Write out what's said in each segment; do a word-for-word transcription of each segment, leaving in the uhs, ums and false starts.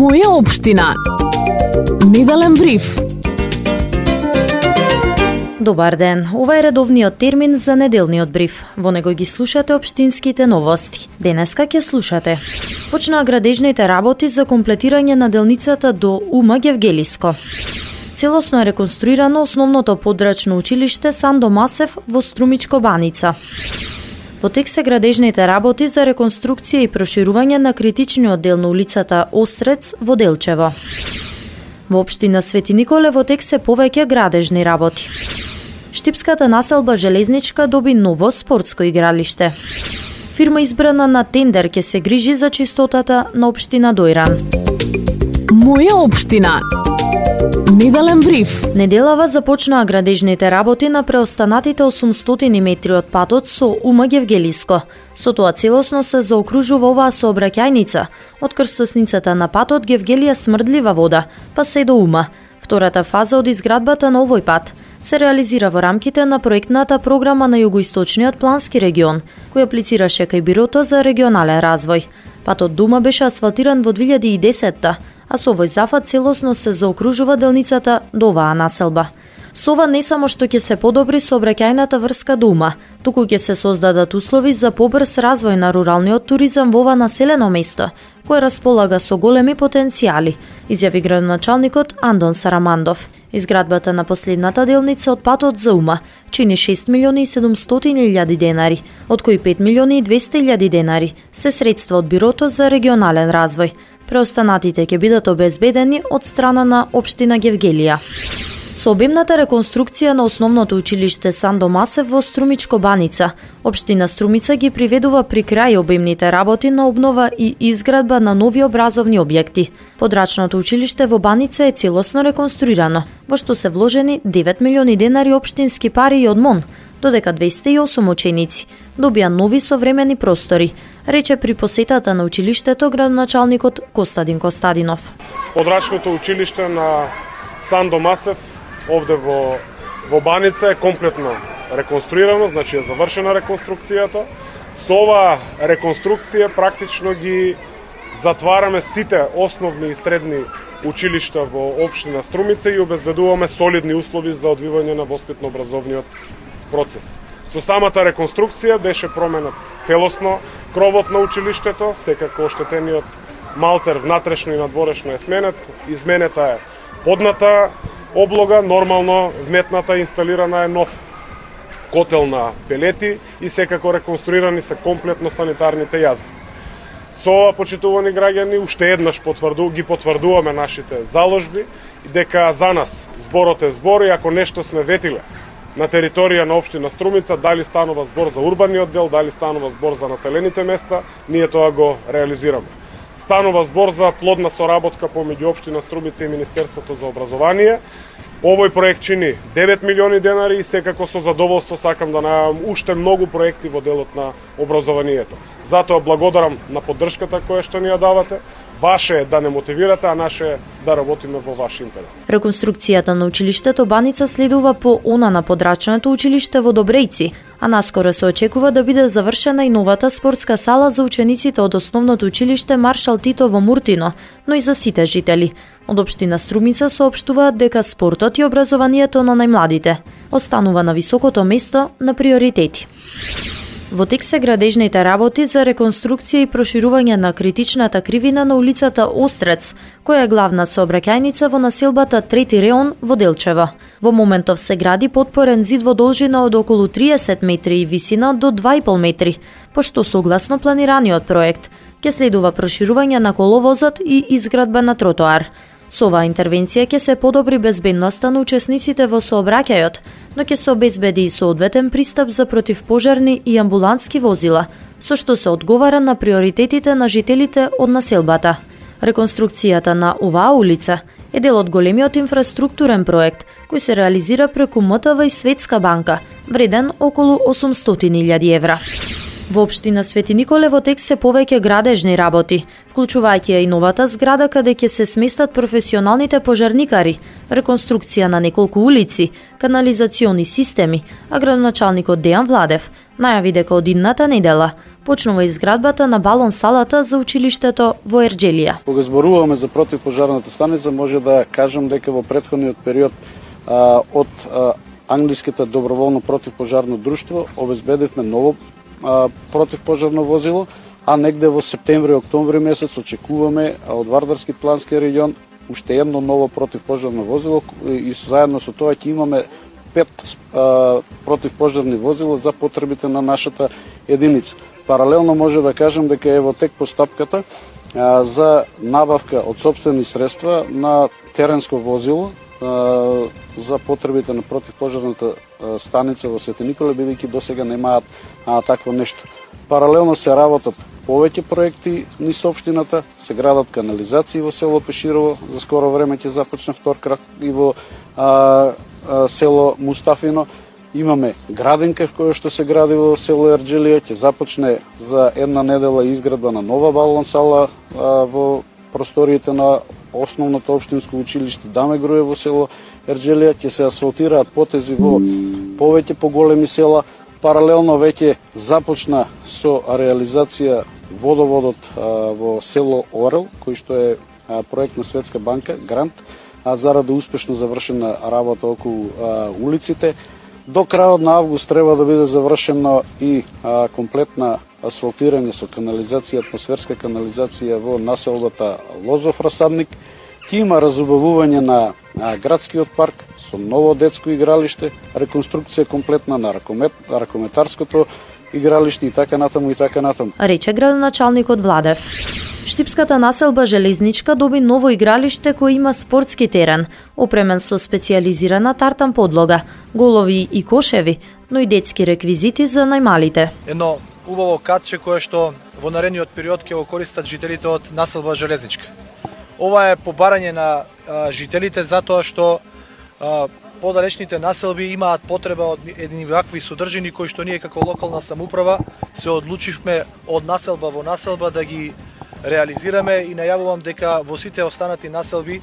Моја општина. Неделен бриф. Добар ден, ова е редовниот термин за неделниот бриф. Во него ги слушате општинските новости. Денеска ќе слушате: почнаа градежните работи за комплетирање на делницата до УМ Гевгелиско. Целосно е реконструирано основното подрачно училиште Сандо Масев во Струмичко Баница. Во тек се градежните работи за реконструкција и проширување на критичниот дел на улицата Острец во Делчево. Во општина Свети Николе во тек се повеќе градежни работи. Штипската населба Железничка доби ново спортско игралиште. Фирма избрана на тендер ќе се грижи за чистотата на општина Дојран. Моја општина. Неделен бриф. Неделава започнаа градежните работи на преостанатите осумстотини метри од патот со УМ Гевгелиско. Со тоа целосно се заокружува оваа сообраќајница од крстосницата на патот Гевгелија Смрдлива вода, па се до УМ. Втората фаза од изградбата на овој пат се реализира во рамките на проектната програма на Југоисточниот плански регион, кој аплицираше кај Бирото за регионален развој. Патот до УМ беше асфалтиран во две илјади и десетта, а со овој зафат целосно се заокружува делницата до оваа населба. Со ова не само што ќе се подобри сообраќајната врска до УМ, туку ќе се создадат услови за побрз развој на руралниот туризам во ова населено место, кое располага со големи потенцијали, изјави градоначалникот Андон Сарамандов. Изградбата на последната делница од патот за УМ чини шест милиони и седумстотини илјади денари, од кои пет милиони и двесте илјади денари се средства од Бирото за регионален развој. Преостанатите ќе бидат обезбедени од страна на општина Гевгелија. Со обемната реконструкција на основното училиште Сандо Масев во Струмичко Баница, општина Струмица ги приведува при крај обемните работи на обнова и изградба на нови образовни објекти. Подрачното училиште во Баница е целосно реконструирано, во што се вложени девет милиони денари општински пари и од МОН, додека двесте и осум ученици добија нови современи простори, рече при посетата на училиштето градоначалникот Костадин Костадинов. Подрачното училиште на Сандо Масев овде во, во Баница е комплетно реконструирано, значи е завршена реконструкцијата. Со оваа реконструкција практично ги затвараме сите основни и средни училишта во општина Струмица и обезбедуваме солидни услови за одвивање на воспитно-образовниот процес. Со самата реконструкција беше променет целосно кровот на училиштето, секако оштетениот малтер внатрешно и надворешно е сменет, изменета е подната облога, нормално вметната инсталирана е нов котел на пелети и секако реконструирани се комплетно санитарните јазди. Со ова, почитувани граѓани, уште еднаш потврду, ги потврдуваме нашите заложби дека за нас зборот е збор и ако нешто сме ветиле на територија на општина Струмица, дали станува збор за урбаниот дел, дали станува збор за населените места, ние тоа го реализираме. Станува збор за плодна соработка помеѓу општина Струмица и Министерството за образование. Овој проект чини девет милиони денари и секако со задоволство сакам да најавам уште многу проекти во делот на образованието. Затоа благодарам на поддршката која што ни ја давате. Ваше е да не мотивирате, а наше е да работиме во ваш интерес. Реконструкцијата на училиштето Баница следува по она на подрачното училиште во Добрејци, а наскоро се очекува да биде завршена и новата спортска сала за учениците од основното училиште Маршал Тито во Муртино, но и за сите жители. Од општина Струмица соопштуваат дека спортот и образованието на најмладите останува на високото место на приоритети. Во тек се градежните работи за реконструкција и проширување на критичната кривина на улицата Острец, која е главна сообраќајница во населбата Трети реон во Делчево. Во моментов се гради потпорен зид во должина од околу триесет метри и висина до два и пол метри, пошто согласно планираниот проект ќе следува проширување на коловозот и изградба на тротоар. Со оваа интервенција ќе се подобри безбедноста на учесниците во сообраќајот, но ќе се обезбеди и соодветен пристап за противпожарни и амбулантски возила, со што се одговара на приоритетите на жителите од населбата. Реконструкцијата на оваа улица е дел од големиот инфраструктурен проект кој се реализира преку М Т В и Светска банка, вреден околу осумстотини илјади евра. Во општина Свети Николе во тек се повеќе градежни работи, вклучувајќи и новата зграда каде ќе се сместат професионалните пожарникари, реконструкција на неколку улици, канализациони системи, а градоначалникот Дејан Владев најави дека од идната недела почнува изградбата на балон салата за училиштето во Ерџелија. Кога зборуваме за противпожарната станица, може да кажам дека во претходниот период а, од а, англиските доброволно противпожарно друштво обезбедивме ново а, противпожарно возило, а негде во септември-октомври месец очекуваме од Вардарски плански регион уште едно ново противпожарно возило и заедно со тоа ќе имаме пет а, противпожарни возила за потребите на нашата единица. Паралелно може да кажем дека е во тек постапката а, за набавка од сопствени средства на теренско возило а, за потребите на противпожарната а, станица во Свети Николе, бидејќи досега немаат а, такво нешто. Паралелно се работат повеќе проекти низ општината, се градат канализации во село Пеширово, за скоро време ќе започне втор крак и во а, а, село Мустафино. Имаме градинка која што се гради во село Ерџелија, ќе започне за една недела изградба на нова балон сала а, во просториите на основното општинско училиште Даме Груе во село Ерџелија, ќе се асфалтираат потези во повеќе поголеми села. Паралелно веќе започна со реализација водоводот а, во село Орел, кој што е а, проект на Светска банка, грант, а заради успешно завршена работа околу а, улиците. До крајот на август треба да биде завршено и а, комплетна асфалтирање со канализација, атмосферска канализација во населбата Лозов Расадник. Ќе има разубавување на а, градскиот парк со ново детско игралиште, реконструкција комплетна на ракомет, ракометарското игралиште и така натаму и така натаму. Рече градоначалникот Владев. Штипската населба Железничка доби ново игралиште кој има спортски терен, опремен со специјализирана тартан подлога, голови и кошеви, но и детски реквизити за најмалите. Едно убаво катче кое што во наредниот период ќе го користат жителите од населба Железничка. Ова е побарање на а, жителите затоа што а, подалечните населби имаат потреба од едни вакви содржини кои што ние како локална самоуправа се одлучивме од населба во населба да ги реализираме и најавувам дека во сите останати населби,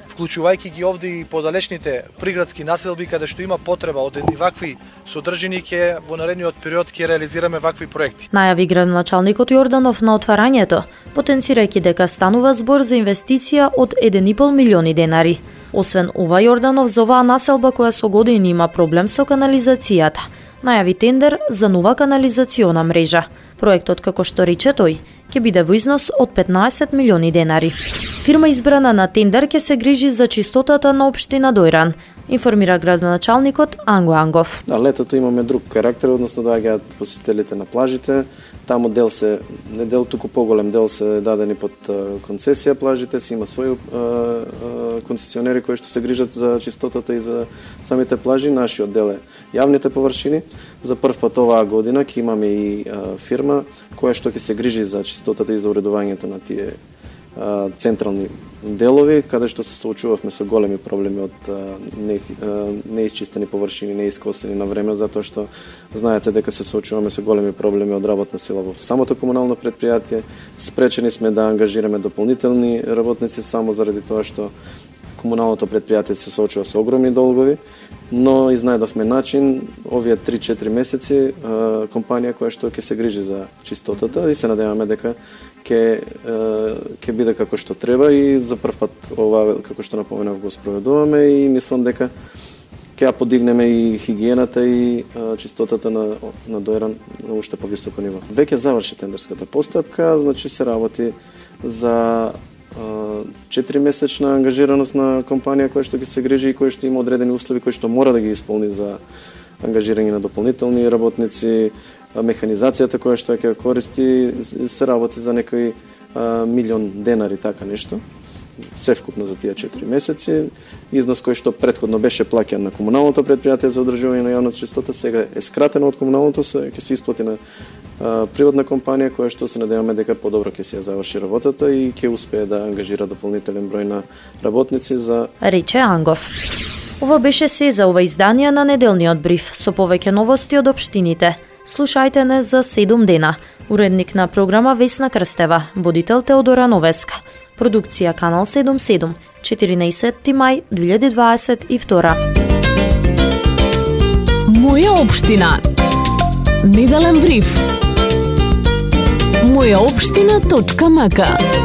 вклучувајќи ги овде и подалечните приградски населби каде што има потреба од едни вакви содржини, ќе во наредниот период ќе реализираме вакви проекти. Најави градоначалникот Јорданов на отварањето, потенцирајќи дека станува збор за инвестиција од еден и пол милиони денари. Освен ова, Јорданов за оваа населба која со години има проблем со канализацијата, најави тендер за нова канализациона мрежа. Проектот, како што рече тој, ќе биде во износ од петнаесет милиони денари. Фирма избрана на тендер ќе се грижи за чистотата на општина Дојран, информира градоначалникот Анго Ангов. Да, летото имаме друг карактер, односно доаѓаат посетителите на плажите. Таму дел се, не дел, туку поголем дел се дадени под концесија плажите, си има своји концесионери кои што се грижат за чистотата и за самите плажи. Нашиот дел е јавните површини. За прв пат оваа година ќе имаме и а, фирма која што ќе се грижи за чистотата и за уредувањето на тие а, централни делови, каде што се соочувавме со големи проблеми од не, неисчистени површини, неискосени на време, затоа што знаете дека се соочуваме со големи проблеми од работна сила во самото комунално предпријатие. Спречени сме да ангажираме дополнителни работници само заради тоа што комуналното предпријатие се соочува со огромни долгови, но изнајдовме начин овие три-четири месеци компанија која што ќе се грижи за чистотата и се надеваме дека ќе ќе биде како што треба и за прв пат ова, како што напоменав, го спроведуваме и мислам дека ќе ја подигнеме и хигиената и а, чистотата на на Дојран на уште повисоко ниво. Веќе заврши тендерската постапка, значи се работи за четири месечна ангажираност на компанија која што ќе се грижи и која што има одредени услови кои што мора да ги исполни за ангажирање на дополнителни работници, механизацијата која што ќе користи, се работи за некој а, милион денари, така нешто. Се вкупно за тие четири месеци. Износ кој што претходно беше плаќан на комуналното предпријатие за одржување на јавната чистота, сега е скратено од комуналното, ќе се исплати на а, приватна компанија која што се надеваме дека подобро ќе се ја заврши работата и ќе успее да ангажира дополнителен број на работници за рече Ангов. Ова беше се за ова издание на неделниот бриф со повеќе новости од општините. Слушајте не за седум дена. Уредник на програма Весна Крстева, водител Теодора Новеска. Продукција Канал седумдесет и седум, четиринаесетти мај две илјади дваесет и втора. Моја општина. Неделен бриф. моја општина точка м к.